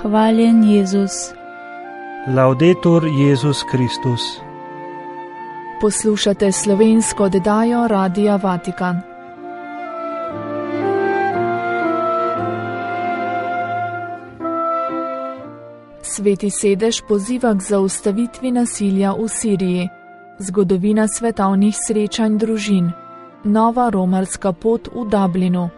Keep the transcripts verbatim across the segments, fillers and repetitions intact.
Hvaljen Jezus. Laudetur Jezus Kristus. Poslušate slovensko oddajo Radia Vatikan. Sveti sedež poziva k zaustavitvi nasilja v Siriji. Zgodovina svetovnih srečanj družin. Nova romarska pot v Dublinu.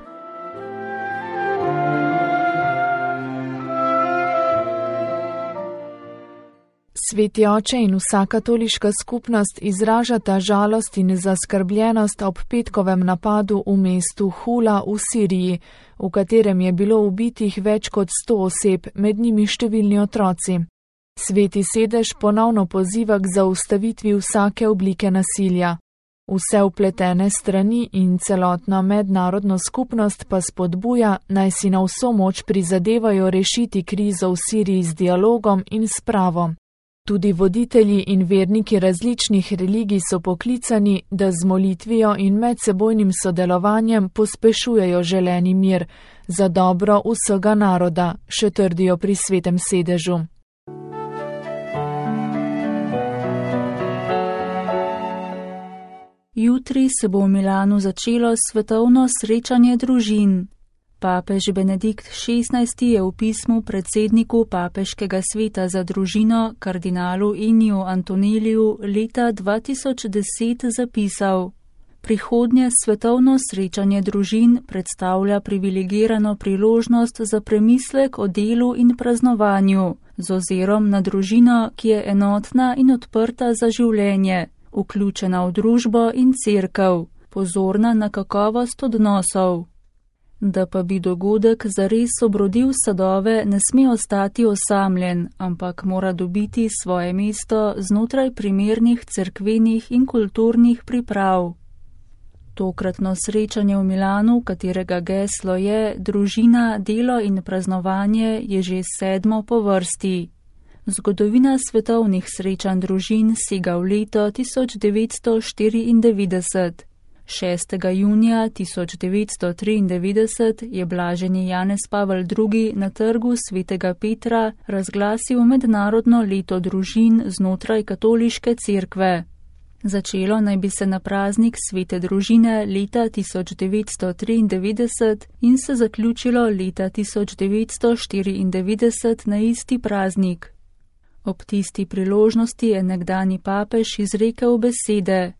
Sveti oče in vsa katoliška skupnost izražata žalost in zaskrbljenost ob petkovem napadu v mestu Hula v Siriji, v katerem je bilo ubitih več kot sto oseb, med njimi številni otroci. Sveti sedež ponovno poziva k zaustavitvi vsake oblike nasilja. Vse vpletene strani in celotna mednarodna skupnost pa spodbuja, naj si na vso moč prizadevajo rešiti krizo v Siriji z dialogom in spravom. Tudi voditelji in verniki različnih religij so poklicani, da z molitvijo in medsebojnim sodelovanjem pospešujejo želeni mir za dobro vsega naroda, še trdijo pri svetem sedežu. Jutri se bo v Milanu začelo svetovno srečanje družin. Papež Benedikt šestnajsti je v pismu predsedniku Papeškega sveta za družino, kardinalu Enniju Antoneliju, leta dva tisoč deset zapisal: Prihodnje svetovno srečanje družin predstavlja privilegirano priložnost za premislek o delu in praznovanju, z ozirom na družino, ki je enotna in odprta za življenje, vključena v družbo in cerkev, pozorna na kakovost odnosov. Da pa bi dogodek zares obrodil sadove, ne sme ostati osamljen, ampak mora dobiti svoje mesto znotraj primernih cerkvenih in kulturnih priprav. Tokratno srečanje v Milanu, katerega geslo je družina, delo in praznovanje, je že sedmo po vrsti. Zgodovina svetovnih srečanj družin sega v leto tisoč devetsto štiriindevetdeset. šestega junija tisoč devetsto triindevetdeset je blaženi Janez Pavel drugi na trgu svetega Petra razglasil mednarodno leto družin znotraj katoliške cerkve. Začelo naj bi se na praznik svete družine leta tisoč devetsto triindevetdeset in se zaključilo leta tisoč devetsto štiriindevetdeset na isti praznik. Ob tisti priložnosti je nekdani papež izrekel besede: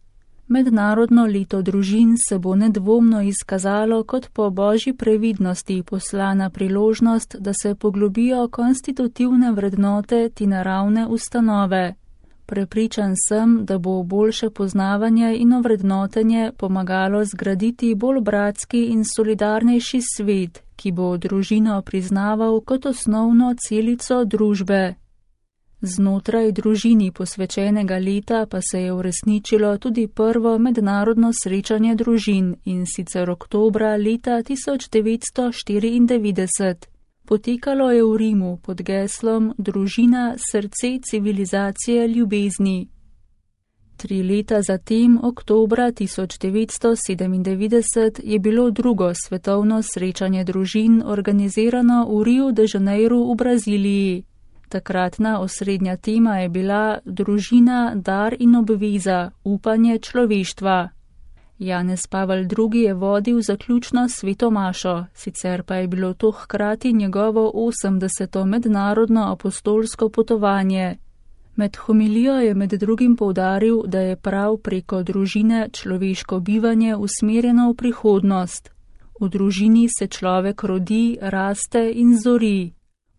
Mednarodno leto družin se bo nedvomno izkazalo kot po božji previdnosti poslana priložnost, da se poglobijo konstitutivne vrednote te naravne ustanove. Prepričan sem, da bo boljše poznavanje in ovrednotenje pomagalo zgraditi bolj bratski in solidarnejši svet, ki bo družino priznaval kot osnovno celico družbe. Znotraj družini posvečenega leta pa se je uresničilo tudi prvo mednarodno srečanje družin, in sicer oktobra leta tisoč devetsto štiriindevetdeset. Potekalo je v Rimu pod geslom Družina, srce civilizacije ljubezni. Tri leta zatem, oktobra tisoč devetsto sedemindevetdeset, je bilo drugo svetovno srečanje družin organizirano v Rio de Janeiro v Braziliji. Takratna osrednja tema je bila družina, dar in obveza, upanje človeštva. Janez Pavel drugi je vodil zaključno sveto mašo, sicer pa je bilo to hkrati njegovo osemdeseto mednarodno apostolsko potovanje. Med homilijo je med drugim poudaril, da je prav preko družine človeško bivanje usmerjeno v prihodnost. V družini se človek rodi, raste in zori.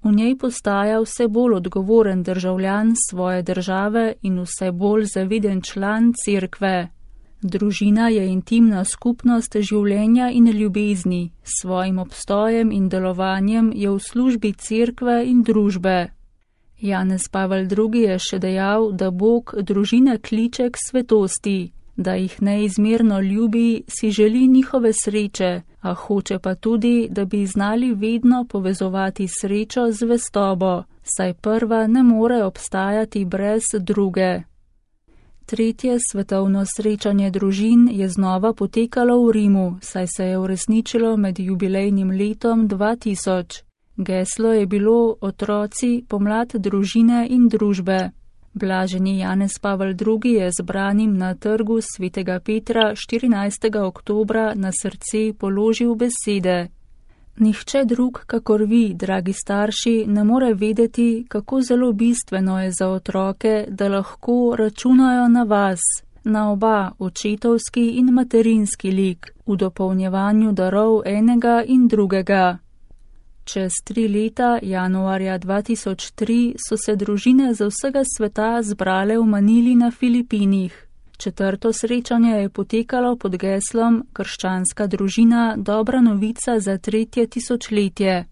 V njej postaja vse bolj odgovoren državljan svoje države in vse bolj zaviden član cerkve. Družina je intimna skupnost življenja in ljubezni, s svojim obstojem in delovanjem je v službi cerkve in družbe. Janez Pavel drugi je še dejal, da Bog družine kliče k svetosti, da jih neizmerno ljubi, si želi njihove sreče, a hoče pa tudi, da bi znali vedno povezovati srečo z zvestobo, saj prva ne more obstajati brez druge. Tretje svetovno srečanje družin je znova potekalo v Rimu, saj se je uresničilo med jubilejnim letom dva tisoč. Geslo je bilo Otroci, pomlad družine in družbe. Blaženi Janez Pavel drugi je zbranim na trgu svetega Petra štirinajstega oktobra na srce položil besede. Nihče drug, kakor vi, dragi starši, ne more vedeti, kako zelo bistveno je za otroke, da lahko računajo na vas, na oba, očetovski in materinski lik, v dopolnjevanju darov enega in drugega. Čez tri leta, januarja dva tisoč tri, so se družine z vsega sveta zbrale v Manili na Filipinih. Četrto srečanje je potekalo pod geslom Krščanska družina, dobra novica za tretje tisočletje.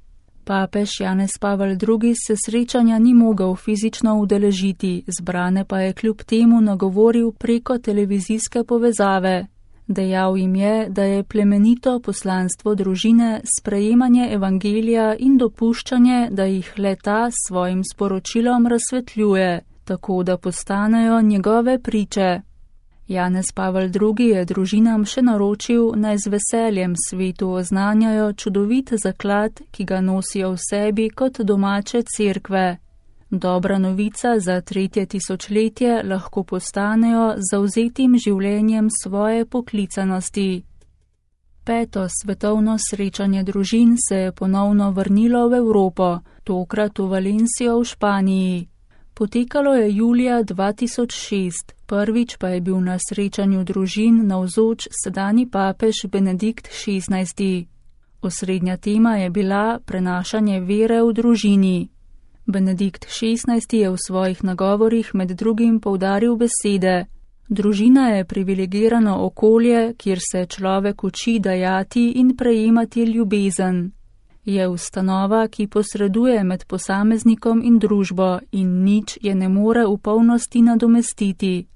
Papež Janez Pavel drugi se srečanja ni mogel fizično udeležiti, zbrane pa je kljub temu nagovoril preko televizijske povezave. Dejal jim je, da je plemenito poslanstvo družine sprejemanje evangelija in dopuščanje, da jih le-ta s svojim sporočilom razsvetljuje, tako da postanejo njegove priče. Janez Pavel drugi je družinam še naročil, naj z veseljem svetu oznanjajo čudovit zaklad, ki ga nosijo v sebi kot domače cerkve. Dobra novica za tretje tisočletje lahko postanejo z zavzetim življenjem svoje poklicanosti. Peto svetovno srečanje družin se je ponovno vrnilo v Evropo, tokrat v Valencijo v Španiji. Potekalo je julija dva tisoč šest, prvič pa je bil na srečanju družin navzoč sedanji papež Benedikt šestnajsti. Osrednja tema je bila prenašanje vere v družini. Benedikt šestnajsti je v svojih nagovorih med drugim poudaril besede: družina je privilegirano okolje, kjer se človek uči dajati in prejemati ljubezen. Je ustanova, ki posreduje med posameznikom in družbo in nič je ne more v polnosti nadomestiti.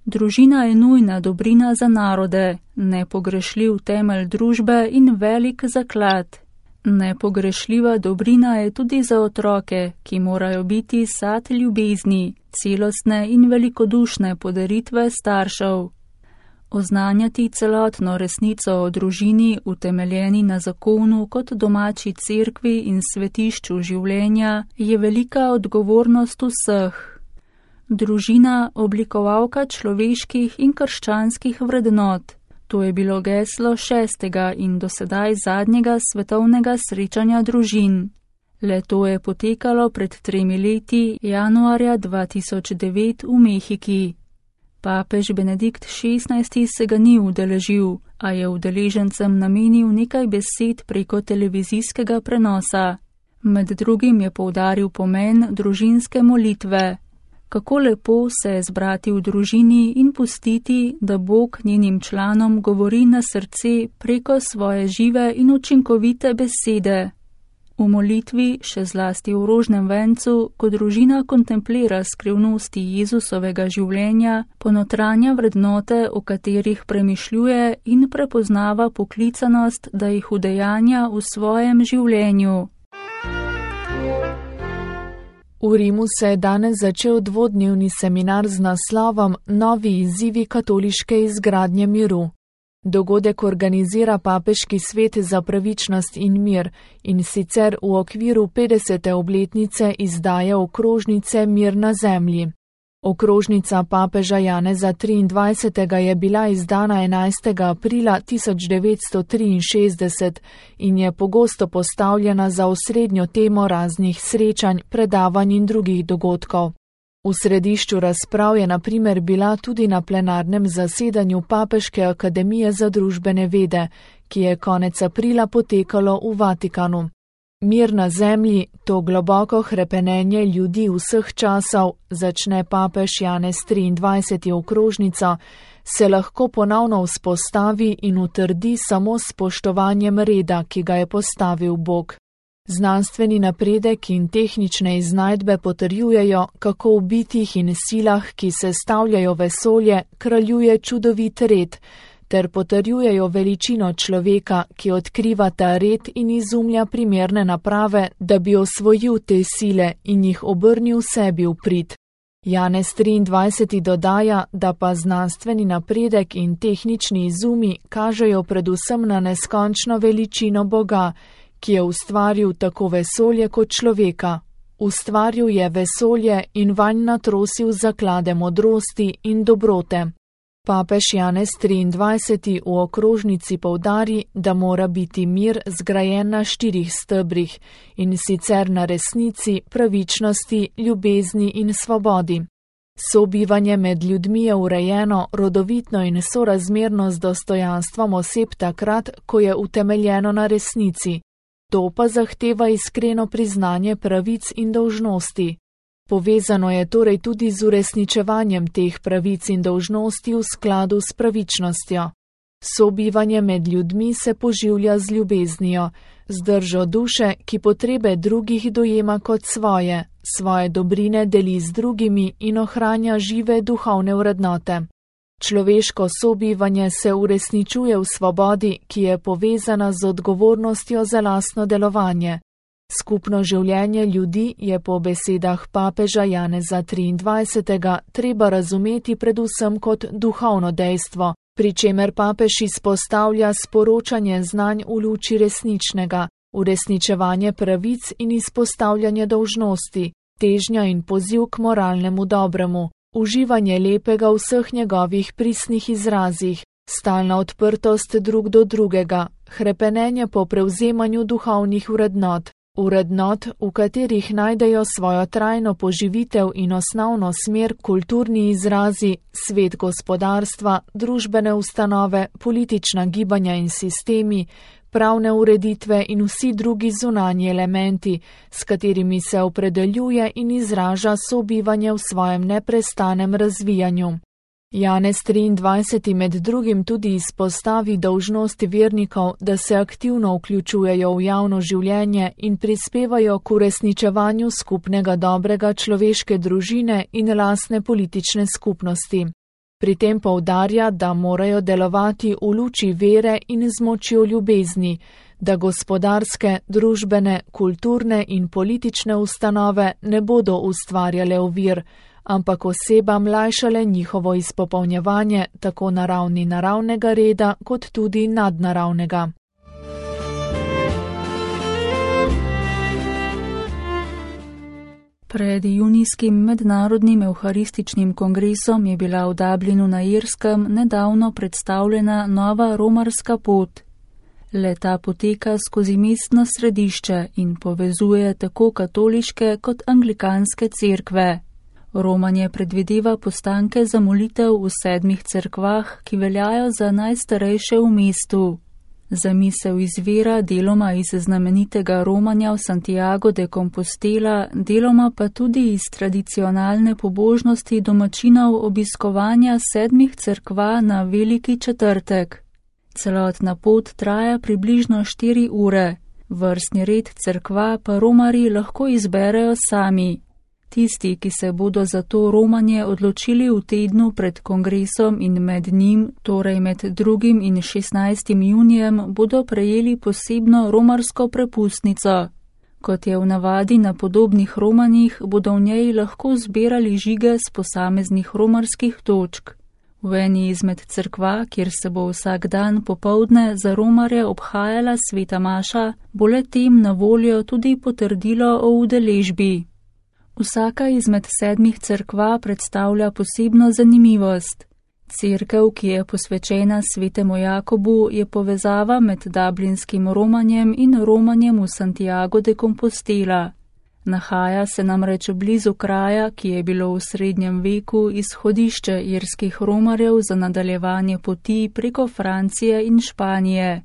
Družina je nujna dobrina za narode, nepogrešljiv temelj družbe in velik zaklad. Nepogrešljiva dobrina je tudi za otroke, ki morajo biti sad ljubezni, celostne in velikodušne podaritve staršev. Oznanjati celotno resnico o družini, utemeljeni na zakonu kot domači cerkvi in svetišču življenja, je velika odgovornost vseh. Družina, oblikovalka človeških in krščanskih vrednot. To je bilo geslo šestega in dosedaj zadnjega svetovnega srečanja družin. Le to je potekalo pred tremi leti, januarja dva tisoč devet v Mehiki. Papež Benedikt šestnajsti se ga ni udeležil, a je udeležencem namenil nekaj besed preko televizijskega prenosa. Med drugim je poudaril pomen družinske molitve. Kako lepo se je zbrati v družini in pustiti, da Bog njenim članom govori na srce preko svoje žive in učinkovite besede. V molitvi, še zlasti v rožnem vencu, ko družina kontemplira skrivnosti Jezusovega življenja, ponotranja vrednote, o katerih premišljuje in prepoznava poklicanost, da jih udejanja v svojem življenju. V Rimu se je danes začel dvodnevni seminar z naslovom Novi izzivi katoliške izgradnje miru. Dogodek organizira Papeški svet za pravičnost in mir in sicer v okviru petdesete obletnice izdaje okrožnice Mir na zemlji. Okrožnica papeža Janeza triindvajsetega je bila izdana enajstega aprila tisoč devetsto triinšestdeset in je pogosto postavljena za osrednjo temo raznih srečanj, predavanj in drugih dogodkov. V središču razprav je na primer bila tudi na plenarnem zasedanju Papeške akademije za družbene vede, ki je konec aprila potekalo v Vatikanu. Mir na zemlji, to globoko hrepenenje ljudi vseh časov, začne papež Janez triindvajseti okrožnico, se lahko ponovno vzpostavi in utrdi samo s spoštovanjem reda, ki ga je postavil Bog. Znanstveni napredek in tehnične iznajdbe potrjujejo, kako v bitjih in silah, ki sestavljajo vesolje, kraljuje čudovit red, ter potrjujejo veličino človeka, ki odkriva ta red in izumlja primerne naprave, da bi osvojil te sile in jih obrnil sebi v prid. Janez triindvajseti dodaja, da pa znanstveni napredek in tehnični izumi kažejo predvsem na neskončno veličino Boga, ki je ustvaril tako vesolje kot človeka. Ustvaril je vesolje in vanj natrosil zaklade modrosti in dobrote. Papež Janez triindvajseti v okrožnici poudari, da mora biti mir zgrajen na štirih stebrih, in sicer na resnici, pravičnosti, ljubezni in svobodi. Sobivanje med ljudmi je urejeno, rodovitno in sorazmerno z dostojanstvom oseb takrat, ko je utemeljeno na resnici. To pa zahteva iskreno priznanje pravic in dolžnosti. Povezano je torej tudi z uresničevanjem teh pravic in dolžnosti v skladu s pravičnostjo. Sobivanje med ljudmi se poživlja z ljubeznijo, z držo duše, ki potrebe drugih dojema kot svoje, svoje dobrine deli z drugimi in ohranja žive duhovne vrednote. Človeško sobivanje se uresničuje v svobodi, ki je povezana z odgovornostjo za lastno delovanje. Skupno življenje ljudi je po besedah papeža Janeza triindvajsetega treba razumeti predvsem kot duhovno dejstvo, pri čemer papež izpostavlja sporočanje znanj v luči resničnega, uresničevanje pravic in izpostavljanje dolžnosti, težnja in poziv k moralnemu dobremu, uživanje lepega v vseh njegovih pristnih izrazih, stalna odprtost drug do drugega, hrepenenje po prevzemanju duhovnih vrednot, vrednot, v katerih najdejo svojo trajno poživitev in osnovno smer kulturni izrazi, svet gospodarstva, družbene ustanove, politična gibanja in sistemi, pravne ureditve in vsi drugi zunanji elementi, s katerimi se opredeljuje in izraža sobivanje v svojem neprestanem razvijanju. Janez triindvajseti med drugim tudi izpostavi dolžnost vernikov, da se aktivno vključujejo v javno življenje in prispevajo k uresničevanju skupnega dobrega človeške družine in lastne politične skupnosti. Pri tem poudarja, da morajo delovati v luči vere in z močjo ljubezni, da gospodarske, družbene, kulturne in politične ustanove ne bodo ustvarjale ovir, ampak osebam lajšale njihovo izpopolnjevanje tako na ravni naravnega reda kot tudi nadnaravnega. Pred junijskim mednarodnim evharističnim kongresom je bila v Dublinu na Irskem nedavno predstavljena nova romarska pot. Le-ta poteka skozi mestno središče in povezuje tako katoliške kot anglikanske cerkve. Romanje predvideva postanke za molitev v sedmih cerkvah, ki veljajo za najstarejše v mestu. Zamisel izvira deloma iz znamenitega romanja v Santiago de Compostela, deloma pa tudi iz tradicionalne pobožnosti domačinov obiskovanja sedmih cerkva na Veliki četrtek. Celotna pot traja približno štiri ure. Vrstni red cerkva pa romarji lahko izberejo sami. Tisti, ki se bodo za to romanje odločili v tednu pred kongresom in med njim, torej med drugim in šestnajstim junijem, bodo prejeli posebno romarsko prepustnico. Kot je v navadi na podobnih romanjih, bodo v njej lahko zbirali žige z posameznih romarskih točk. V eni izmed cerkva, kjer se bo vsak dan popoldne za romarje obhajala sveta maša, bo le-tem na voljo tudi potrdilo o udeležbi. Vsaka izmed sedmih cerkva predstavlja posebno zanimivost. Cerkev, ki je posvečena svetemu Jakobu, je povezava med dublinskim romanjem in romanjem v Santiago de Compostela. Nahaja se namreč blizu kraja, ki je bilo v srednjem veku izhodišče irskih romarjev za nadaljevanje poti preko Francije in Španije.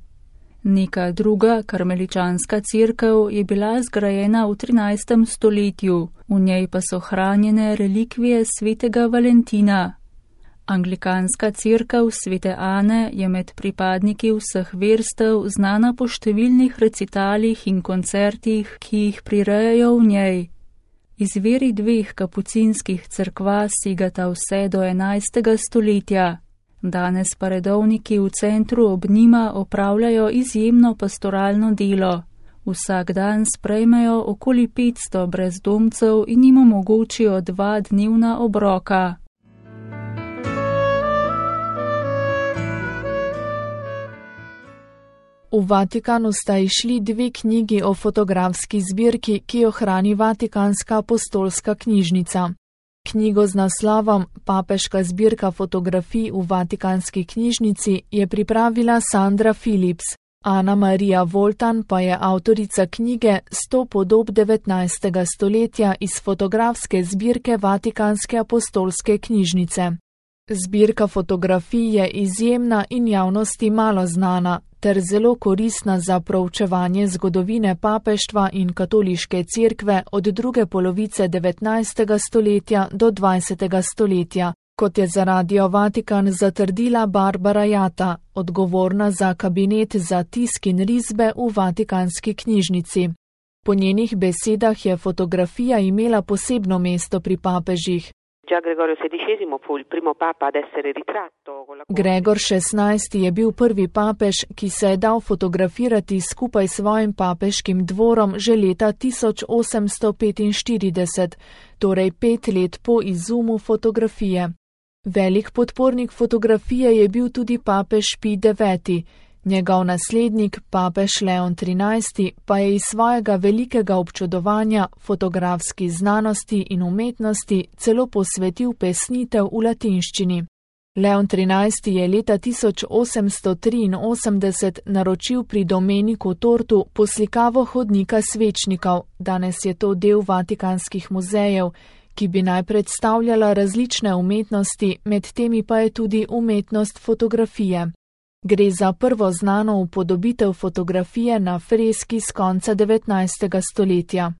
Neka druga karmeličanska cerkev je bila zgrajena v trinajstem stoletju, v njej pa so hranjene relikvije svetega Valentina. Anglikanska cerkev svete Ane je med pripadniki vseh verstev znana po številnih recitalih in koncertih, ki jih prirejajo v njej. Izviri dveh kapucinskih cerkva segata vse do enajstega stoletja. Danes pa redovniki v centru ob njima opravljajo izjemno pastoralno delo. Vsak dan sprejmejo okoli petsto brezdomcev in jim omogočijo dva dnevna obroka. V Vatikanu sta izšli dve knjigi o fotografski zbirki, ki jo hrani Vatikanska apostolska knjižnica. Knjigo z naslovom Papeška zbirka fotografij v Vatikanski knjižnici je pripravila Sandra Phillips. Ana Marija Voltan pa je avtorica knjige Sto podob devetnajstega stoletja iz fotografske zbirke Vatikanske apostolske knjižnice. Zbirka fotografij je izjemna in javnosti malo znana, ter zelo koristna za proučevanje zgodovine papeštva in katoliške cerkve od druge polovice devetnajstega stoletja do dvajsetega stoletja, kot je za Radio Vatikan zatrdila Barbara Jata, odgovorna za kabinet za tisk in risbe v Vatikanski knjižnici. Po njenih besedah je fotografija imela posebno mesto pri papežih. Gregor šestnajsti je bil prvi papež, ki se je dal fotografirati skupaj s svojim papeškim dvorom že leta tisoč osemsto petinštirideset, torej pet let po izumu fotografije. Velik podpornik fotografije je bil tudi papež Pij deveti. Njegov naslednik, papež Leon trinajsti, pa je iz svojega velikega občudovanja fotografski znanosti in umetnosti celo posvetil pesnitev v latinščini. Leon trinajsti je leta tisoč osemsto triinosemdeset naročil pri Domeniku Tortu poslikavo hodnika svečnikov, danes je to del Vatikanskih muzejev, ki bi naj predstavljala različne umetnosti, med temi pa je tudi umetnost fotografije. Gre za prvo znano upodobitev fotografije na freski z konca devetnajstega stoletja.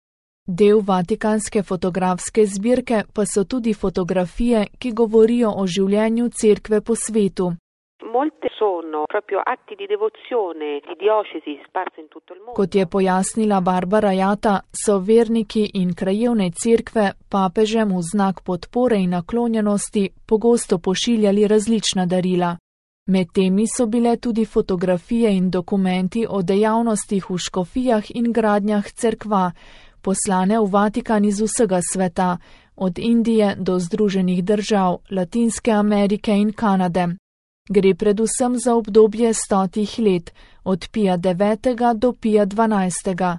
Del Vatikanske fotografske zbirke pa so tudi fotografije, ki govorijo o življenju cerkve po svetu. Kot je pojasnila Barbara Jata, so verniki in krajevne cerkve papežem v znak podpore in naklonjenosti pogosto pošiljali različna darila. Med temi so bile tudi fotografije in dokumenti o dejavnostih v škofijah in gradnjah cerkva, poslane v Vatikan iz vsega sveta, od Indije do Združenih držav, Latinske Amerike in Kanade. Gre predvsem za obdobje stotih let, od Pija devetega do Pija dvanajstega.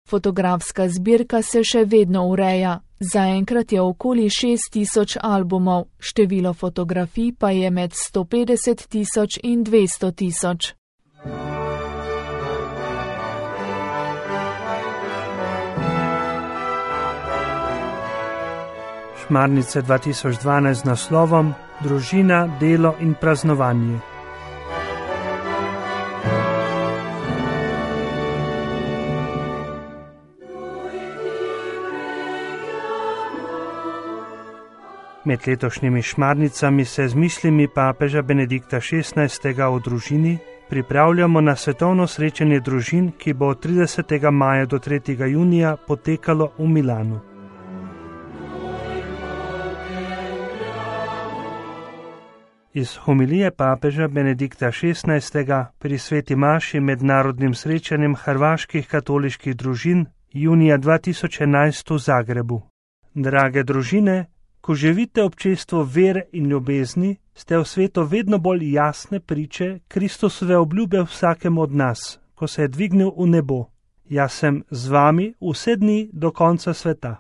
Fotografska zbirka se še vedno ureja. Zaenkrat je okoli šest tisoč albumov, število fotografij pa je med sto petdeset tisoč in dvesto tisoč. Šmarnice dva tisoč dvanajst z naslovom Družina, delo in praznovanje. Med letošnjimi šmarnicami se z mislimi papeža Benedikta šestnajstega o družini pripravljamo na svetovno srečanje družin, ki bo od tridesetega maja do tretjega junija potekalo v Milanu. Iz homilije papeža Benedikta šestnajstega pri sveti maši med narodnim srečanjem hrvaških katoliških družin junija dva tisoč enajst v Zagrebu. Drage družine, ko živite občestvo vere in ljubezni, ste v svetu vedno bolj jasne priče Kristusove obljube vsakemu od nas, ko se je dvignil v nebo. Jaz sem z vami vse dni do konca sveta.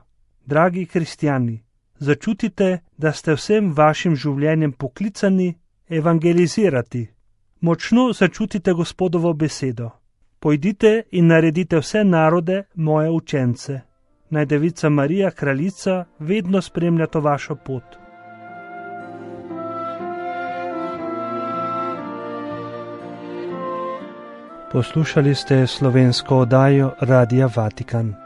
Dragi kristjani, začutite, da ste vsem vašim življenjem poklicani evangelizirati. Močno začutite Gospodovo besedo. Pojdite in naredite vse narode moje učence. Naj Devica Marija, kraljica, vedno spremlja to vašo pot. Poslušali ste slovensko oddajo Radia Vatikan.